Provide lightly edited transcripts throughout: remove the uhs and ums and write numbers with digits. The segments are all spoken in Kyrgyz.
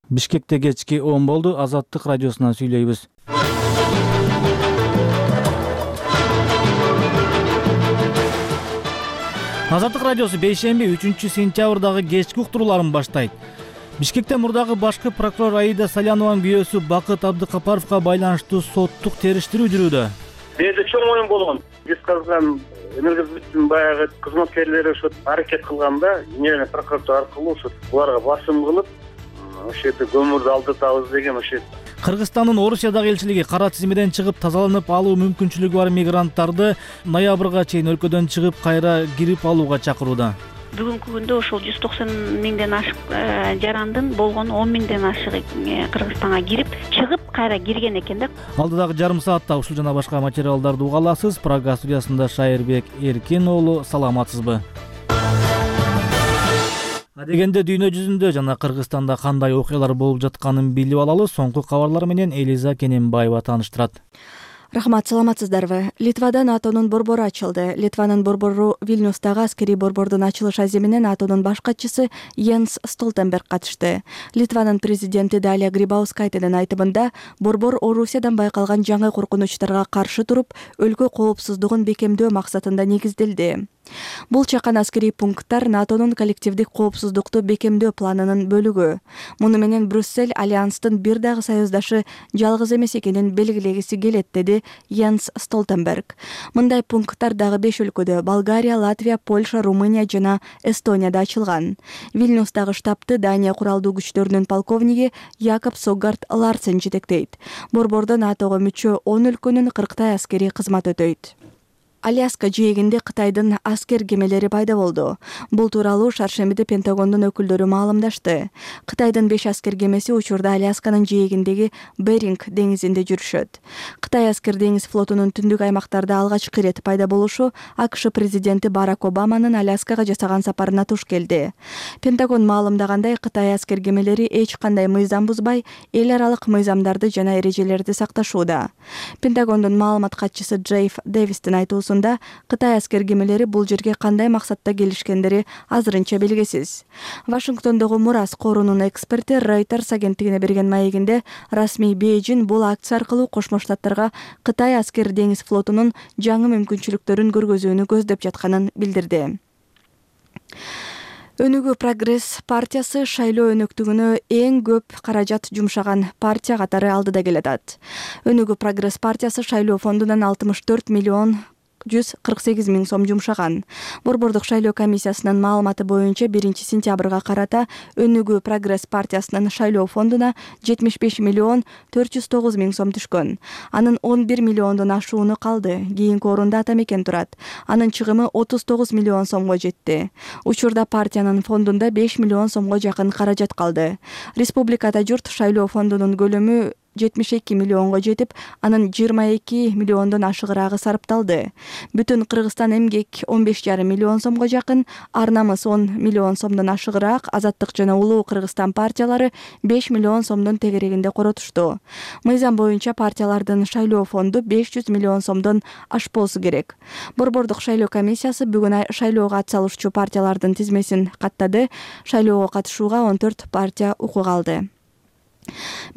Бишкекте кечки 10 болду. Азаттык радиосунан сүйлөйбүз. Азаттык радиосу бейшемби 3-сентябрдагы кечки уктурууларын баштайт. Бишкекте мурдагы башкы прокурор Аида Салянованын күйөөсү Бакыт Абдыкапаровго байланыштуу соттук териштирүү жүрүүдө. Менде чоң оюн болгон. Биз калган энергосбыттын баягы кызматкерлери ошо аракет кылганда, Генеральный прокуратура аркылуу ошо буларга басым кылып, ошол жерде көмүрдү алдыртабыз деген ошо. Кыргызстандын Орусиядагы элчилиги кара тизмеден чыгып тазаланып алуу мүмкүнчүлүгү бар мигранттарды ноябрга чейин өлкөдөн чыгып кайра кирип алууга чакырууда. Бүгүнкү күндө ошол 190 миңден ашык жарандын болгону 10 миңден ашыгы Кыргызстанга кирип, чыгып кайра кирген экен да. Алдыдагы жарым саатта ушул жана башка материалдарды уга аласыз. Прага студиясында Шайырбек Эркин уулу, саламатсызбы? Адегенде дүйнө жүзүндө жана Кыргызстанда кандай окуялар болуп жатканын билип алалы. Соңку кабарлар менен Элиза Кененбаева тааныштырат. Рахмат, саламатсыздарбы? Литвада НАТОнун борбору ачылды. Литванын борбору Вильнюстагы аскерий борбордун ачылыш аземине НАТОнун баш катчысы Йенс Столтенберг катышты. Литванын президенти Далия Грибаускайтенин айтымында, борбор Орусиядан байкалган жаңы коркунучтарга каршы туруп, өлкө коопсуздугун бекемдөө максатында негизделди. Бул чакан аскерий пункттар НАТОнун коллективдик коопсуздукту бекемдөө планынын бөлүгү. Муну менен Брюссель альянстын бир дагы союздашы жалгыз эмес экенин белгилегиси келет, деди Йенс Столтенберг. Мындай пункттар дагы 5 өлкөдө — Болгария, Латвия, Польша, Румыния жана Эстонияда ачылган. Вильнюстагы штабты Дания куралдуу күчтөрүнүн полковниги Якоб Согард Ларсен жетектейт. Борбордо НАТОго мүчө 10 өлкөнүн 40 аскери кызмат өтөйт. Аляска жээгинде Кытайдын аскер кемелери пайда болду. Бул тууралуу шаршембиде Пентагондун өкүлдөрү маалымдашты. Кытайдын 5 аскер кемеси учурда Алясканын жээгиндеги Беринг деңизинде жүрүшөт. Кытай аскер деңиз флотунун түндүк аймактарда алгачкы ирет пайда болушу АКШ президенти Барак Обаманын Аляскага жасаган сапарына туш келди. Пентагон маалымдагандай, Кытай аскер кемелери эч кандай мыйзам бузбай, эл аралык мыйзамдарды жана эрежелерди сакташууда. Пентагондун маалымат катчысы Джейф Дэвистин айтуусунда, Кытай аскер кемелери бул жерге кандай максатта келишкендери азырынча белгисиз. Вашингтондогу Мурас корунун эксперти Reuters агенттигине берген маегинде, расмий Бейжин бул акция аркылуу Кошмо Штаттарга Кытай аскер деңиз флотунун жаңы мүмкүнчүлүктөрүн көргөзүүнү көздөп жатканын билдирди. Өнүгүү Прогресс партиясы шайлоо өнөктүгүнө эң көп каражат жумшаган партия катары алдыда келатат. Өнүгүү Прогресс партиясы шайлоо фондунан 64 миллион 148 миң сом жумшаган. Борбордук шайлоо комиссиясынын маалыматы боюнча 1-сентябрга карата Өнүгүү Прогресс партиясынын шайлоо фондуна 75 миллион 409 миң сом түшкөн. Анын 11 миллиондон ашууну калды. Кийинки орунда Ата Мекен турат. Анын чыгымы 39 миллион сомго жетти. Учурда партиянын фондунда 5 миллион сомго жакын каражат калды. Республикада журт шайлоо фондунун көлөмү 72 миллионго жетип, анын 22 миллиондон ашыгыраагы сарпталды. Бүтүн Кыргызстан эмгек 15,5 миллион сомго жакын, Ар намыс 10 миллион сомдон ашыгыраак, Азаттык жана Улуу Кыргызстан партиялары 5 миллион сомдон тегерегинде коротушту. Мыйзам боюнча партиялардын шайлоо фонду 500 миллион сомдон ашпоосу керек. Борбордук шайлоо комиссиясы бүгүн шайлоого атсалышчу партиялардын тизмесин каттады. Шайлоого катышууга 14 партия укук алды.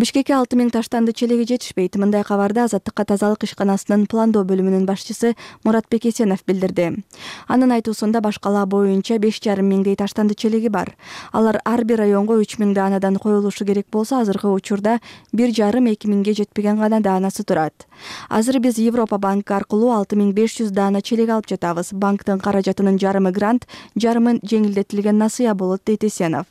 Бишкекке 6 миң таштанды челеги жетишпейт. Мындай кабарды Азаттыкка тазалык ишканасынын пландоо бөлүмүнүн башчысы Муратбек Эсенов билдирди. Анын айтуусунда баш кала боюнча 5,5 миңдей таштанды челеги бар. Алар ар бир районго 3 миң даанадан коюлушу керек болсо, азыркы учурда 1,5-2 миңге жетпеген гана даанасы турат. Азыр биз Европа банкы аркылуу 6500 даана челек алып жатабыз. Банктын каражатынын жарымы грант, жарымы жеңилдетилген насыя болот, дейт Эсенов.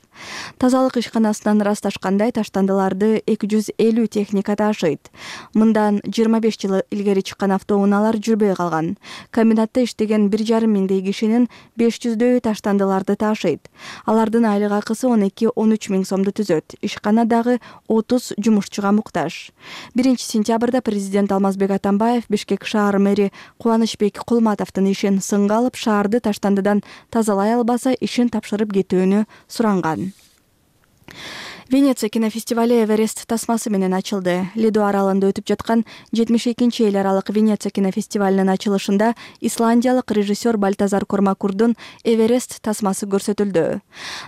Тазалык ишканасынан ырасташкандай, таштандыларды 250 техника таашыйт. Мындан 25 жыл илгери чыккан автоунаалар жүрбөй калган. Комбинатта иштеген 1,5 миңдей кишинин 500дөйү таштандыларды таашыйт. Алардын айлык акысы 12-13 миң сомду түзөт. Ишкана дагы 30 жумушчуга муктаж. 1-сентябрда президент Алмазбек Атамбаев Бишкек шаар мэри Кубанычбек Кулматовдун ишин сынга алып, шаарды таштандыдан тазалай албаса ишин тапшырып кетүүнү суранган. Венеция кинофестивали Эверест тасмасы менен ачылды. Лидо аралында өтүп жаткан 72-чи эл аралык Венеция кинофестивалынын ачылышында исландиялык режиссер Бальтазар Кормакурдун Эверест тасмасы көрсөтүлдү.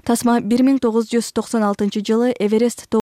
Тасма 1996 жылы Эверест